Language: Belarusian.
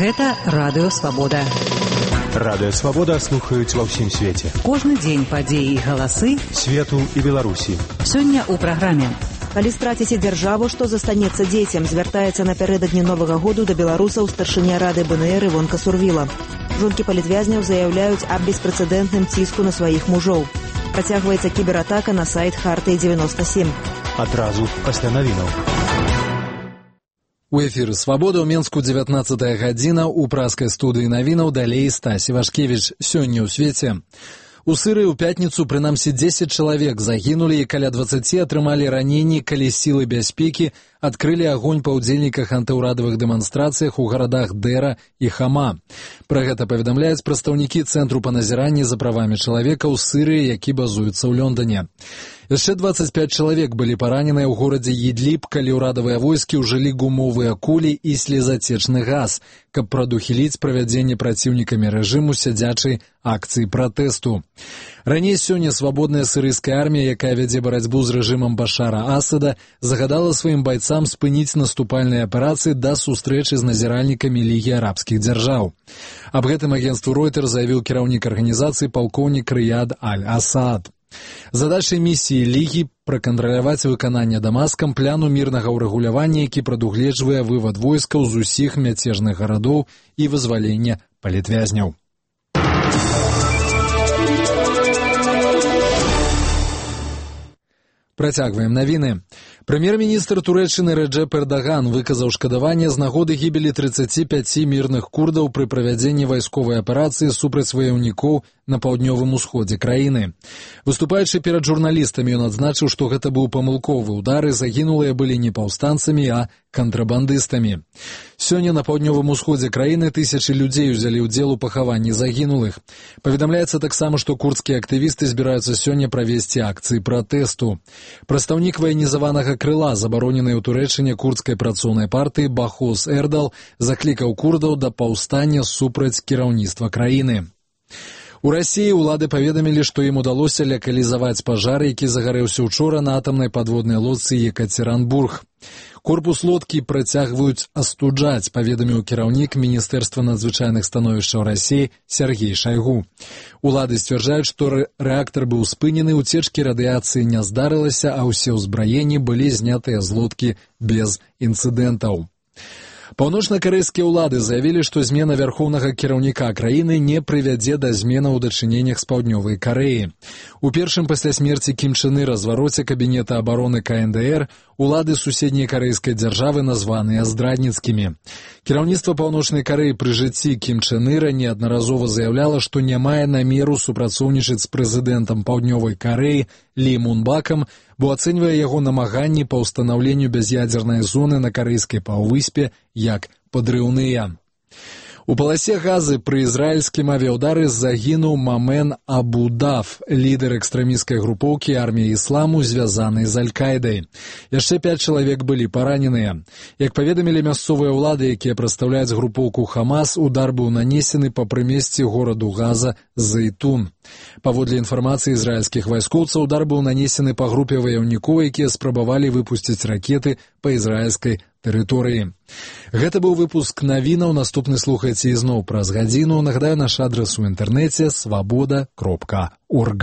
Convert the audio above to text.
Гэта Радыё Свабода. Радыё Свабода слухаюць ва ўсім свеце. Кожны дзень падзеі і галасы свету і Беларусі. Сёння ў праграме. Калі страціце дзяржаву, што застанецца дзецям, звяртаецца напярэдадні Новага году да беларусаў старшыня Рады БНР Івонка Сурвіла. Жонкі палітвязняў заяўляюць аб беспрэцэдэнтным ціску на сваіх мужоў. Працягваецца кібератака на сайт Хартыі-97. Адразу пасля навінаў. У эфіры «Свабода» ў Менску 19 гадзіна. У праскай студыі навінаў далей Стась Івашкевіч. Сёння ў свеце. У Сырыі ў пятніцу прынамсі 10 чалавек загінулі і каля 20 атрымалі раненні, калі сілы бяспекі адкрылі агонь па ўдзельніках антыўрадавых дэманстрацыях у гарадах Дэра і Хама. Пра гэта паведамляюць прадстаўнікі Цэнтру па назіранні за правамі чалавека ў Сырыі, які базуецца ў Лондоне. Яшчэ 25 чалавек былі параненыя ў горадзе Ідліб, калі ўрадавыя войскі ўжылі гумовыя кулі і слезацечны газ, каб прадухіліць правядзенне праціўнікамі рэжыму сядзячай акцыі пратэсту. Раней сёння свабодная сырыйская армія, якая вядзе барацьбу з рэжымам Башара Асада, загадала сваім байцам спыніць наступальныя аперацыі да сустрэчы з назіральнікамі Лігі арабскіх дзяржаў. Аб гэтым агенцтву Ройтер заявіў кіраўнік арганізацыі палкоўнік Рыяд Аль-Асад. Задачай місіі Лігі пракантраляваць выкананне Дамаскам пляну мірнага ўрэгулявання, які прадугледжвае вывад войскаў з усіх мяцежных гарадоў і вызваленне палітвязняў. Працягваем навіны. Прэм'ер-міністр Турэччыны Рэджэп Эрдаган выказаў шкадаванне з нагоды гібелі 35 мірных курдаў пры правядзенні вайсковай аперацыі супраць ваяўнікоў на паўднёвым усходзе краіны. Выступаючы перад журналістамі, ён адзначыў, што гэта быў памылковы удар і загінулыя былі не паўстанцамі, а кантрабандыстамі. Сёння на паўднёвым усходзе краіны тысячы людзей узялі ўдзел у пахаванні загінулых. Паведамляецца таксама, што курдскія актывісты збіраюцца сёння правесці акцыі пратэсту. Прадстаўнік ваенізаванага крыла забароненай у Турэччыне курдскай працоўнай партыі Бахос Эрдал заклікаў курдаў да паўстання супраць кіраўніцтва краіны. У Расіі ўлады паведамілі, што ім удалося лакалізаваць пажар, які загарэўся учора на атамнай падводнай лодцы Екатеринбург. Корпус лодкі працягваюць астуджаць, паведаміў кіраўнік Міністэрства надзвычайных становішчаў Расіі Сергей Шайгу. Улады сцвярджаюць, што рэактар быў спынены, уцечкі радыяцыі не здарылася, а ўсе ўзбраенні былі знятыя з лодкі без інцыдэнтаў. Паўночна-карэйскія ўлады заявілі, што змена вярхоўнага кіраўніка краіны не прывядзе да зменаў у дачыненнях з паўднёвай Карэі. У першым пасля смерці Кім Чен Ира развароце кабінета абароны КНДР улады суседняй карэйскай дзяржавы названыя здрадніцкімі. Кіраўніцтва Паўночнай Карэі пры жыцці Кім Чен Ира неаднаразова заяўляла, што не мае намеру супрацоўнічаць з прэзідэнтам Паўднёвай Карэі Лі Мун-бакам, бо ацэньвае яго намаганні па ўстанаўленню бяз'ядзернай зоны на карэйскай паўвыспе як падрыўныя. У паласе Газы пры ізраільскім авіаўдары загінуў Мамен Абу-Даф, лідар экстрэмісцкай групоўкі арміі ісламу, звязанай з Аль-Кайдай. Яшчэ 5 чалавек былі параненыя. Як паведамілі мясцовыя ўлады, якія прадстаўляюць групоўку Хамас, удар быў нанесены па прымесці гораду Газа Зайтун. Паводле інфармацыі ізраільскіх вайскоўцаў, удар быў нанесены па групе ваяўнікоў, якія спрабавалі выпусціць ракеты па ізраільскай тэрыторыі. Гэта быў выпуск навінаў. Наступны слухайце ізноў праз гадзіну. Нагадаю, наш адрас у інтэрнэце свабода.орг.